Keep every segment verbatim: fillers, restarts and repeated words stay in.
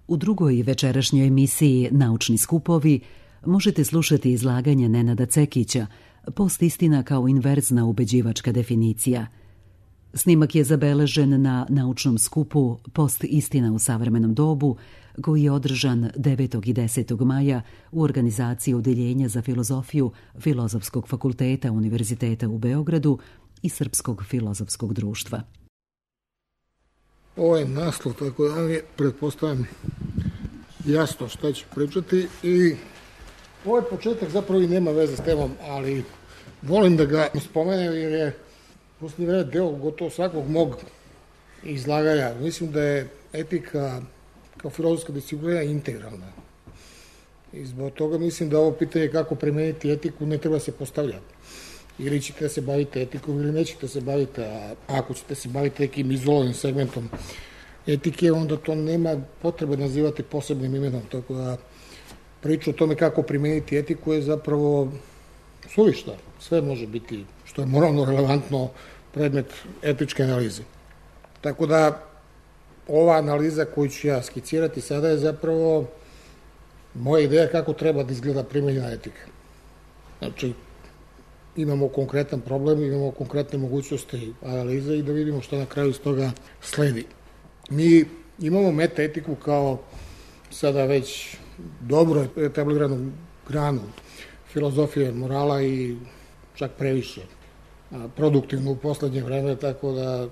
U drugoj večerašnjoj emisiji Naučni skupovi možete slušati izlaganje Nenada Cekića, post-istina kao inverzna ubeđivačka definicija. Snimak je zabeležen na naučnom skupu Post-istina u savremenom dobu, koji je održan devetog i desetog maja u organizaciji Odeljenja za filozofiju Filozofskog fakulteta Univerziteta u Beogradu i Srpskog filozofskog društva. Ovo je naslov, tako da je, pretpostavljam, jasno šta ću pričati i ovaj početak zapravo i nema veze s temom, ali volim da ga spomenem jer je posljednje vreme deo gotovo svakog mog izlaganja. Mislim da je etika kao filozofska disciplina integralna. I zbog toga mislim da ovo pitanje kako primeniti etiku ne treba se postavljati. Ili ćete se baviti etikom ili nećete se baviti, a ako ćete se baviti nekim izolovanim segmentom etike, onda to nema potrebe nazivati posebnim imenom. Tako da priča o tome kako primeniti etiku je zapravo suvišna. Sve može biti, što je moralno relevantno, predmet etičke analize. Tako da ova analiza koju ću ja skicirati sada je zapravo moja ideja kako treba da izgleda primenjena etika. Znači, imamo konkretan problem, imamo konkretne mogućnosti analize i da vidimo što na kraju iz toga sledi. Mi imamo metaetiku kao sada već dobro etabliranu granu filozofije morala i čak previše produktivno u poslednje vreme, tako da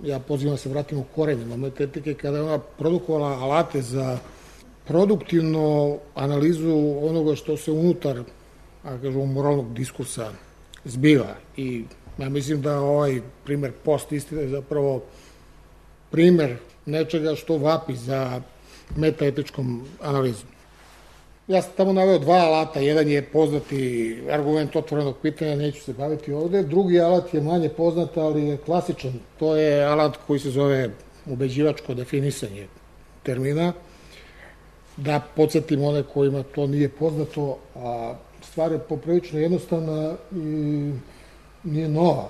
ja pozivam da se vratimo u korenima metaetike kada je ona produkovala alate za produktivnu analizu onoga što se unutar, a kažemo, moralnog diskursa zbiva. I ja mislim da ovaj primer post-istine je zapravo primer nečega što vapi za metaetičkom analizom. Ja sam tamo naveo dva alata. Jedan je poznati argument otvorenog pitanja, neću se baviti ovde. Drugi alat je manje poznat, ali je klasičan. To je alat koji se zove ubeđivačko definisanje termina. Da podsjetim one kojima to nije poznato, a stvar je poprilično jednostavna i nije nova.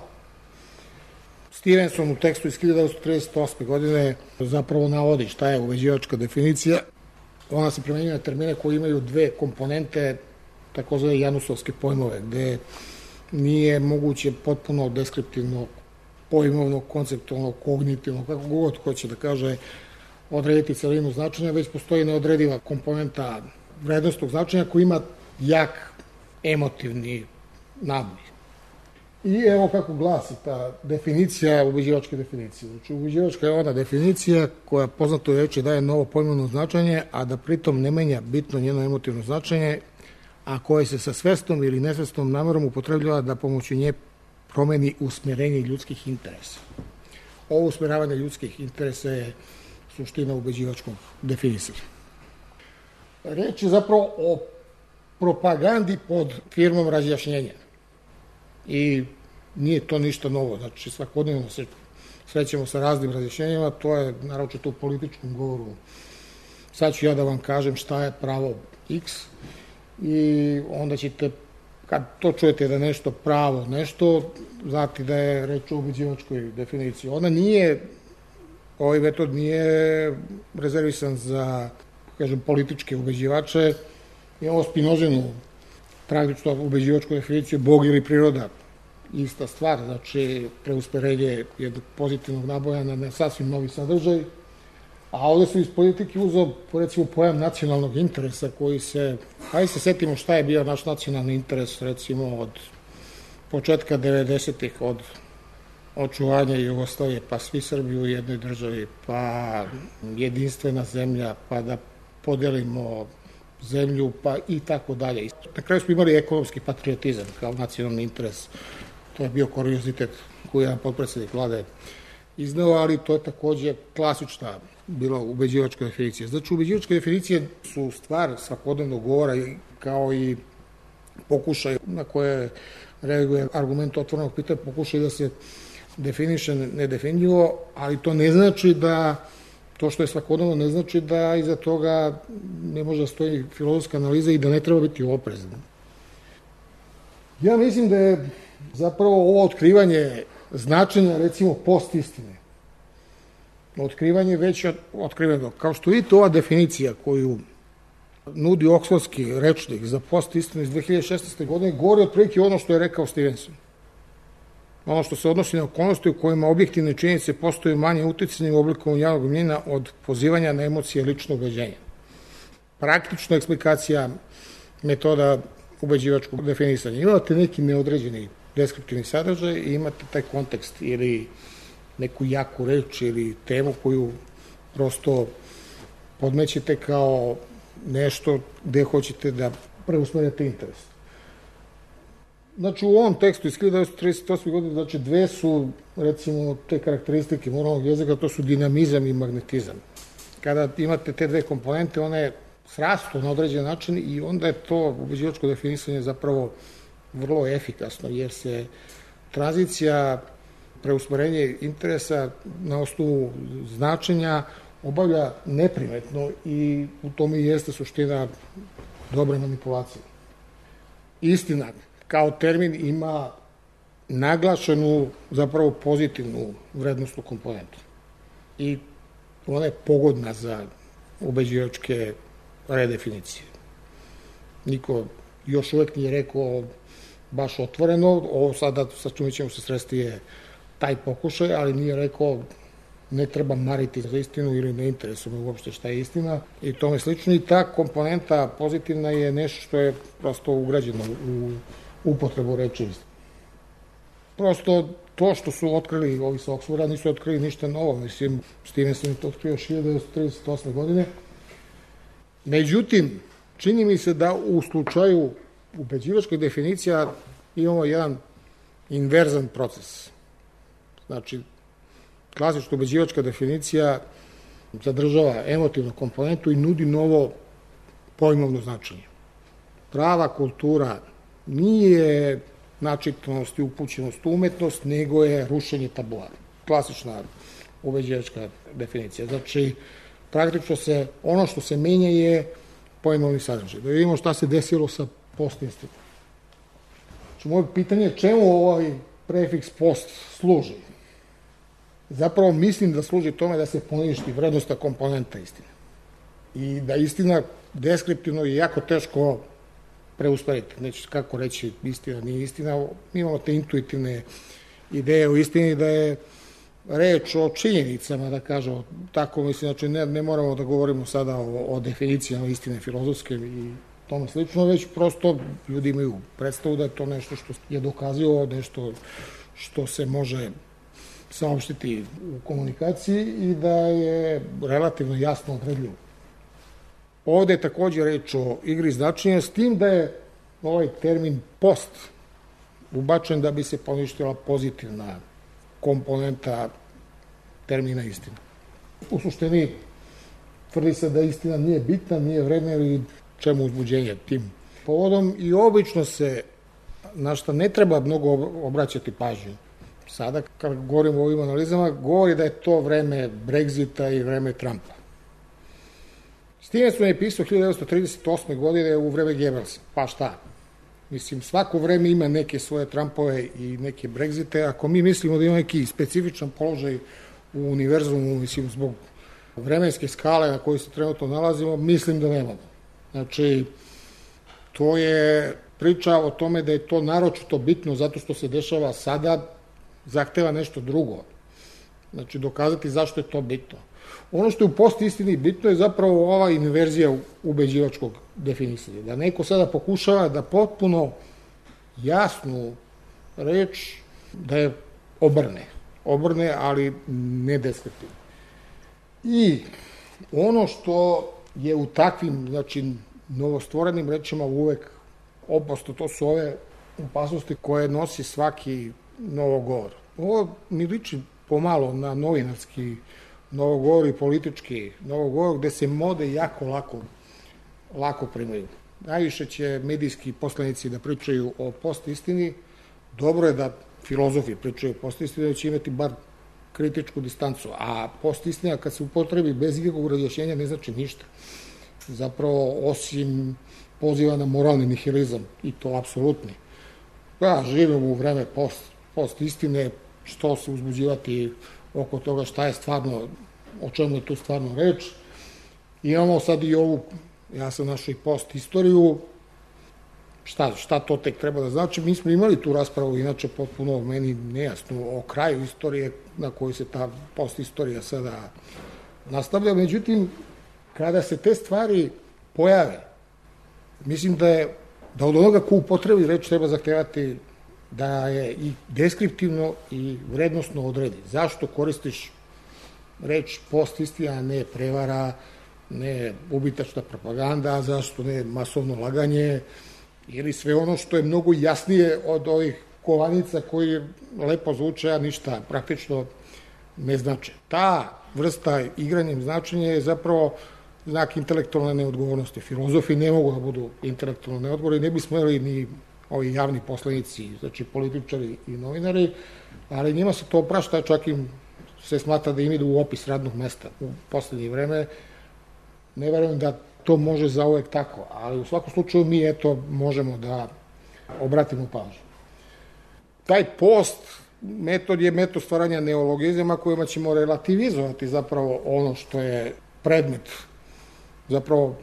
Stevenson u tekstu iz hiljadu devetsto trideset osme. godine zapravo navodi šta je ubeđivačka definicija. Ona se primenjuje na termine koji imaju dve komponente, takozvane janusovske pojmove, gde nije moguće potpuno deskriptivno, pojmovno, konceptualno, kognitivno, kako god hoće da kaže, odrediti celinu značenja, već postoji neodrediva komponenta vrednostnog značenja koji ima jak emotivni naboj. I evo kako glasi ta definicija ubeđivačke definicije. Znači, ubeđivačka je ona definicija koja poznatoj reči daje novo pojmovno značenje, a da pritom ne menja bitno njeno emotivno značenje, a koje se sa svestom ili nesvestom namerom upotrebljava da pomoću nje promeni usmjerenje ljudskih interesa. Ovo usmjeravanje ljudskih interesa je suština ubeđivačkog definisanja. Reč je zapravo o propagandi pod firmom razjašnjenja. I nije to ništa novo. Znači, svakodnevno se srećemo sa raznim razjašnjenjima, to je naročito u političkom govoru. Sad ću ja da vam kažem šta je pravo X i onda ćete, kad to čujete da nešto pravo nešto, znati da je reč o ubeđivačkoj definiciji. Ona nije, ovaj metod nije rezervisan za, kažem, političke ubeđivače. Imamo Spinozinu praktično ubeđivačku definiciju Bog ili priroda. Ista stvar, znači preusmerenje jednog pozitivnog naboja na sasvim novi sadržaj. A ovde su iz politike uzeo, recimo, pojam nacionalnog interesa koji se, hajde se setimo šta je bio naš nacionalni interes, recimo, od početka devedesetih, od očuvanja Jugoslavije, pa svi Srbi u jednoj državi, pa jedinstvena zemlja, pa da podelimo zemlju, pa i tako dalje. Na kraju smo imali ekonomski patriotizam kao nacionalni interes. To je bio kuriozitet koji je potpredsednik vlade izneo, ali to je takođe klasična bila ubeđivačka definicija. Znači, ubeđivačke definicije su stvar svakodnevnog govora kao i pokušaj na koje reaguje argument otvorenog pitanja, pokušaj da se definiše nedefinjivo, ali to ne znači da to što je svakodnevno ne znači da iza toga ne može da stoji filozofska analiza i da ne treba biti oprezan. Ja mislim da je zapravo ovo otkrivanje značenja, recimo, post-istine otkrivanje već otkriveno. Kao što vidite, ova definicija koju nudi Oksfordski rečnik za postistinu iz dve hiljade šesnaeste. godine govori otprilike ono što je rekao Stevenson. Ono što se odnosi na okolnosti u kojima objektivne činjenice postaju manje uticajne u obliku javnog mnjenja od pozivanja na emocije ličnog ubeđenja. Praktična eksplikacija metoda ubeđivačkog definisanja. Imate neki neodređeni deskriptivni sadržaj i imate taj kontekst ili neku jaku reč ili temu koju prosto podmećete kao nešto gde hoćete da preusmerite interes. Znači, u ovom tekstu iz hiljadu devetsto trideset osme. godine, znači, dve su, recimo, te karakteristike moralnog jezika, to su dinamizam i magnetizam. Kada imate te dve komponente, one srastu na određen način i onda je to ubeđivačko definisanje zapravo vrlo efikasno, jer se tranzicija, preusmerenje interesa na osnovu značenja obavlja neprimetno i u tome i jeste suština dobre manipulacije. Istina, kao termin ima naglašenu, zapravo pozitivnu vrednostnu komponentu. I ona je pogodna za ubeđivačke redefinicije. Niko još uvek nije rekao baš otvoreno, ovo sada sa čime ćemo se sresti je taj pokušaj, ali nije rekao ne treba mariti za istinu ili ne interesuje uopšte šta je istina i tome slično. I ta komponenta pozitivna je nešto što je prosto ugrađeno u upotrebu reči. Prosto to što su otkrili ovi sa Oksforda nisu otkrili ništa novo. Mislim, Stevenson je to otkrio hiljadu devetsto trideset osme. godine. Međutim, čini mi se da u slučaju ubeđivačkih definicija imamo jedan inverzan proces. Znači, klasična ubeđivačka definicija zadržava emotivnu komponentu i nudi novo pojmovno značenje. Prava kultura nije načitanost i upućenost u umetnost, nego je rušenje tabua. Klasična ubeđivačka definicija. Znači, praktično se, ono što se menja je pojmovni sadržaj. Da vidimo šta se desilo sa postistinom. Znači, moje pitanje je čemu ovaj prefiks post služi? Zapravo mislim da služi tome da se poništi vrednostna komponenta istine. I da istina deskriptivno je jako teško preusmeriti. Neću kako reći istina, nije istina. Mi imamo te intuitivne ideje o istini da je reč o činjenicama, da kažemo tako, mislim, znači ne, ne moramo da govorimo sada o, o definicijama istine filozofske i tome slično, već prosto ljudi imaju predstavu da je to nešto što je dokazivo, nešto što se može saopštiti u komunikaciji i da je relativno jasno odredljivo. Ovde je takođe reč o igri značenja, s tim da je ovaj termin post ubačen da bi se poništila pozitivna komponenta termina istina. U suštini tvrdi se da istina nije bitna, nije vredna ili čemu uzbuđenje tim povodom i obično se, na šta ne treba mnogo obraćati pažnju. Sada, kad govorimo o ovim analizama, govori da je to vreme Brexita i vreme Trumpa. Stevenson je pisao hiljadu devetsto trideset osme. godine u vreme Goebbelsa. Pa šta? Mislim, svako vreme ima neke svoje Trumpove i neke Brexite. Ako mi mislimo da ima neki specifičan položaj u univerzumu, mislim, zbog vremenske skale na kojoj se trenutno nalazimo, mislim da nemamo. Znači, to je priča o tome da je to naročito bitno zato što se dešava sada, zahteva nešto drugo. Znači, dokazati zašto je to bitno. Ono što je u postistini bitno je zapravo ova inverzija ubeđivačkog definisanja. Da neko sada pokušava da potpuno jasnu reč da je obrne. Obrne, ali ne deskriptivno. I ono što je u takvim, znači, novostvorenim rečima uvek opasno, to su ove opasnosti koje nosi svaki novogovor. Ovo mi liči pomalo na novinarski novogovor i politički novogovor gde se mode jako lako, lako primaju. Najviše će medijski poslanici da pričaju o postistini. Dobro je da filozofi pričaju o postistini, da će imati bar kritičku distancu, a postistina kad se upotrebi bez ikakvog razjašnjenja ne znači ništa. Zapravo, osim poziva na moralni nihilizam, i to apsolutni. Ja živim u vreme post, post istine, što se uzbuđivati oko toga šta je stvarno o čemu je tu stvarno reč. Imamo sad i ovu, ja sam našao i post istoriju, šta, šta to tek treba da znači. Mi smo imali tu raspravu, inače potpuno meni nejasno, o kraju istorije na kojoj se ta post istorija sada nastavlja. Međutim, kada se te stvari pojave, mislim da je da od onoga ko upotrebi reč treba zahtevati da je i deskriptivno i vrednostno odredi. Zašto koristiš reč post-istina, a ne prevara, ne ubitačna propaganda, zašto ne masovno laganje, ili sve ono što je mnogo jasnije od ovih kovanica koji lepo zvuče, a ništa praktično ne znače. Ta vrsta igranjem značenja je zapravo znak intelektualne neodgovornosti. Filozofi ne mogu da budu intelektualno neodgovorni, ne bi smeli ni ovi javni poslanici, znači političari i novinari, ali njima se to oprašta, čak im se smatra da im idu u opis radnog mesta u poslednje vreme. Ne verujem da to može zauvek tako, ali u svakom slučaju mi eto možemo da obratimo pažnju. Taj post metod je metod stvaranja neologizama kojima ćemo relativizovati zapravo ono što je predmet zapravo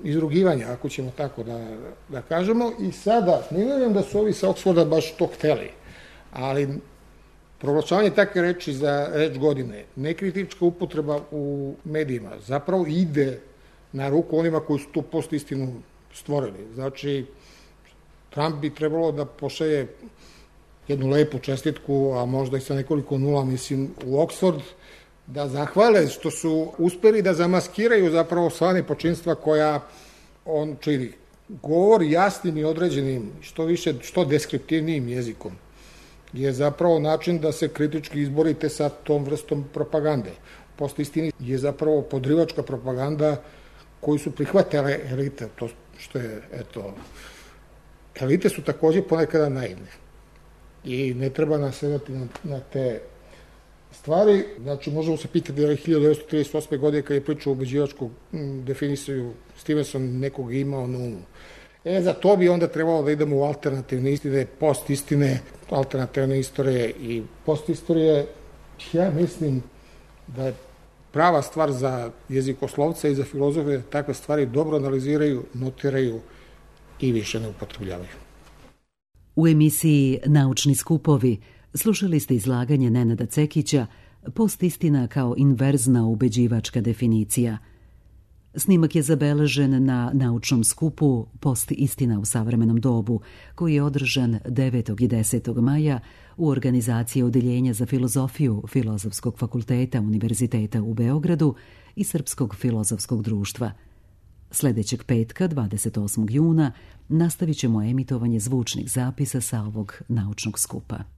izrugivanja, ako ćemo tako da, da kažemo. I sada, ne verujem da su ovi sa Oksforda baš to hteli, ali proglašavanje takve reči za reč godine, nekritička upotreba u medijima, zapravo ide na ruku onima koji su tu post istinu stvorili. Znači, Trump bi trebalo da pošalje jednu lepu čestitku, a možda i sa nekoliko nula, mislim, u Oksford, da zahvale što su uspeli da zamaskiraju zapravo sva nepočinstva koja on čini. Govor jasnim i određenim, što više, što deskriptivnijim jezikom je zapravo način da se kritički izborite sa tom vrstom propagande. Post istini je zapravo podrivačka propaganda koju su prihvatile elite. To što je, eto, elite su takođe ponekada naivne i ne treba nasedati na, na te stvari. Znači, možemo se pitati da je hiljadu devetsto trideset osme. godine kad je pričao o ubeđivačku definiciju Stevenson nekog imao na umu. E, za to bi onda trebalo da idemo u alternativne istine, post istine, alternativne istorije i post istorije. Ja mislim da je prava stvar za jezikoslovca i za filozofe da takve stvari dobro analiziraju, notiraju i više ne upotrebljavaju. U emisiji Naučni skupovi slušali ste izlaganje Nenada Cekića Post-istina kao inverzna ubeđivačka definicija. Snimak je zabeležen na naučnom skupu Post-istina u savremenom dobu, koji je održan devetog i desetog maja u organizaciji Odeljenja za filozofiju Filozofskog fakulteta Univerziteta u Beogradu i Srpskog filozofskog društva. Sledećeg petka, dvadeset osmog juna, nastavit ćemo emitovanje zvučnih zapisa sa ovog naučnog skupa.